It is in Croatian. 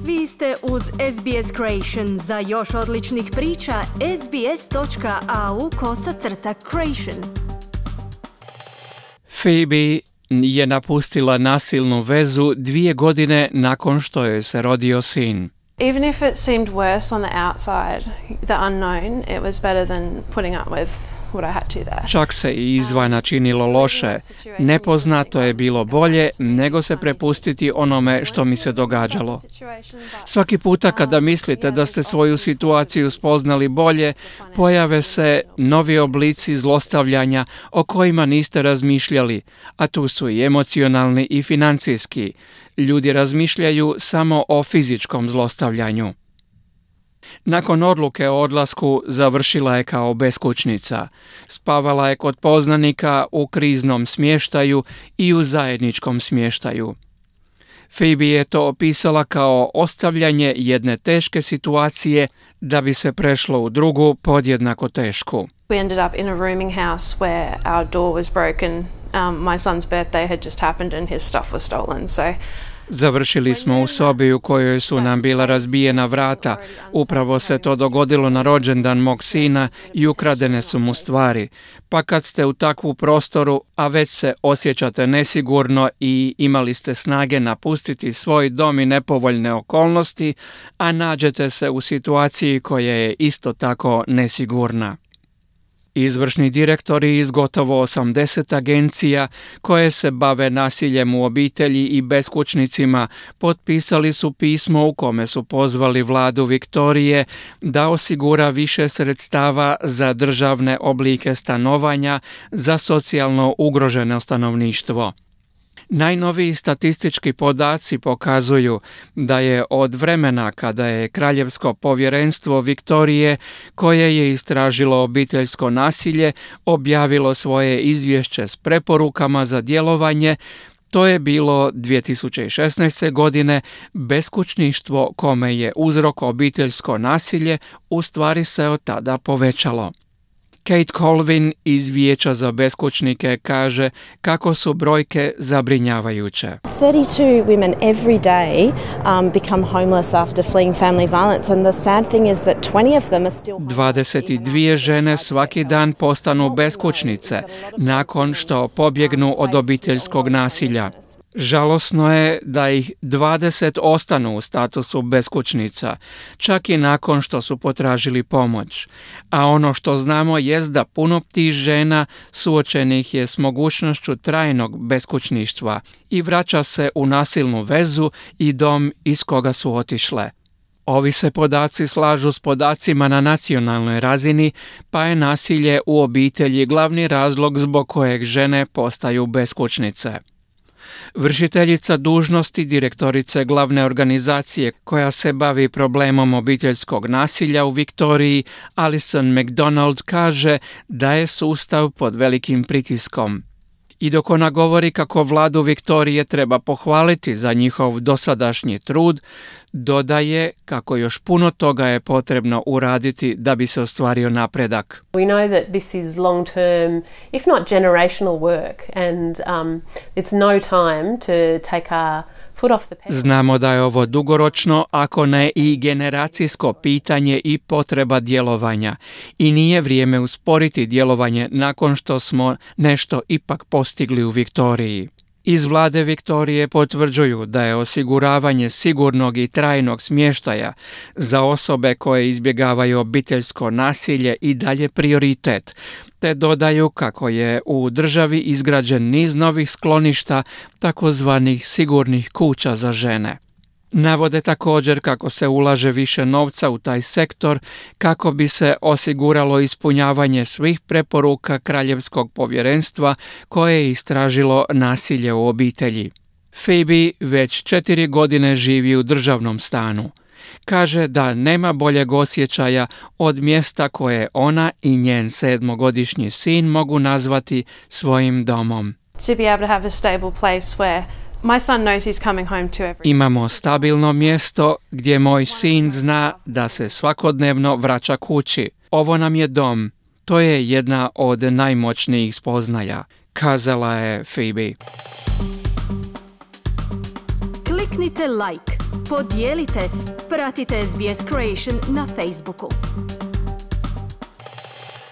Vi ste uz SBS Creation. Za još odličnih priča, sbs.au/creation. Phoebe je napustila nasilnu vezu 2 godine nakon što joj se rodio sin. Even if it seemed worse on the outside, the unknown, it was better than putting up with what I had to there. Čak se i izvana činilo loše. Nepoznato je bilo bolje nego se prepustiti onome što mi se događalo. Svaki puta kada mislite da ste svoju situaciju spoznali bolje, pojave se novi oblici zlostavljanja o kojima niste razmišljali, a tu su i emocionalni i financijski. Ljudi razmišljaju samo o fizičkom zlostavljanju. Nakon odluke o odlasku završila je kao beskućnica. Spavala je kod poznanika u kriznom smještaju i u zajedničkom smještaju. Phoebe je to opisala kao ostavljanje jedne teške situacije da bi se prešlo u drugu podjednako tešku. We ended up in a rooming house where our door was broken. My son's birthday had just happened and his stuff was stolen. Završili smo u sobi u kojoj su nam bila razbijena vrata. Upravo se to dogodilo na rođendan mog sina i ukradene su mu stvari. Pa kad ste u takvu prostoru, a već se osjećate nesigurno i imali ste snage napustiti svoj dom i nepovoljne okolnosti, a nađete se u situaciji koja je isto tako nesigurna. Izvršni direktori iz gotovo 80 agencija koje se bave nasiljem u obitelji i beskućnicima potpisali su pismo u kome su pozvali vladu Viktorije da osigura više sredstava za državne oblike stanovanja za socijalno ugroženo stanovništvo. Najnoviji statistički podaci pokazuju da je od vremena kada je Kraljevsko povjerenstvo Viktorije, koje je istražilo obiteljsko nasilje, objavilo svoje izvješće s preporukama za djelovanje, to je bilo 2016. godine, beskućništvo kome je uzrok obiteljsko nasilje u stvari se od tada povećalo. Kate Colvin iz Vijeća za beskućnike kaže kako su brojke zabrinjavajuće. 32 women every day become homeless after fleeing family violence and the sad thing is that 20 of them are still 22 žene svaki dan postanu beskućnice nakon što pobjegnu od obiteljskog nasilja. Žalosno je da ih 20 ostanu u statusu beskućnica, čak i nakon što su potražili pomoć. A ono što znamo jest da puno tih žena suočenih je s mogućnošću trajnog beskućništva i vraća se u nasilnu vezu i dom iz koga su otišle. Ovi se podaci slažu s podacima na nacionalnoj razini, pa je nasilje u obitelji glavni razlog zbog kojeg žene postaju beskućnice. Vršiteljica dužnosti direktorice glavne organizacije koja se bavi problemom obiteljskog nasilja u Viktoriji, Alison McDonald, kaže da je sustav pod velikim pritiskom. I dok ona govori kako vladu Viktorije treba pohvaliti za njihov dosadašnji trud, dodaje kako još puno toga je potrebno uraditi da bi se ostvario napredak. We know that this is long term, if not generational work, and it's no time to take our foot off the pedal. Znamo da je ovo dugoročno, ako ne i generacijsko pitanje i potreba djelovanja. I nije vrijeme usporiti djelovanje nakon što smo nešto ipak postigli u Viktoriji. Iz vlade Viktorije potvrđuju da je osiguravanje sigurnog i trajnog smještaja za osobe koje izbjegavaju obiteljsko nasilje i dalje prioritet, te dodaju kako je u državi izgrađen niz novih skloništa, takozvanih sigurnih kuća za žene. Navode također kako se ulaže više novca u taj sektor kako bi se osiguralo ispunjavanje svih preporuka Kraljevskog povjerenstva koje je istražilo nasilje u obitelji. Phoebe već 4 godine živi u državnom stanu. Kaže da nema boljeg osjećaja od mjesta koje ona i njen 7-godišnji sin mogu nazvati svojim domom. To be able to have a stable place where my son knows he's coming home to every. Imamo stabilno mjesto gdje moj sin zna da se svakodnevno vraća kući. Ovo nam je dom. To je jedna od najmoćnijih spoznaja, kazala je Phoebe. Kliknite like, podijelite, pratite SBS Creation na Facebooku.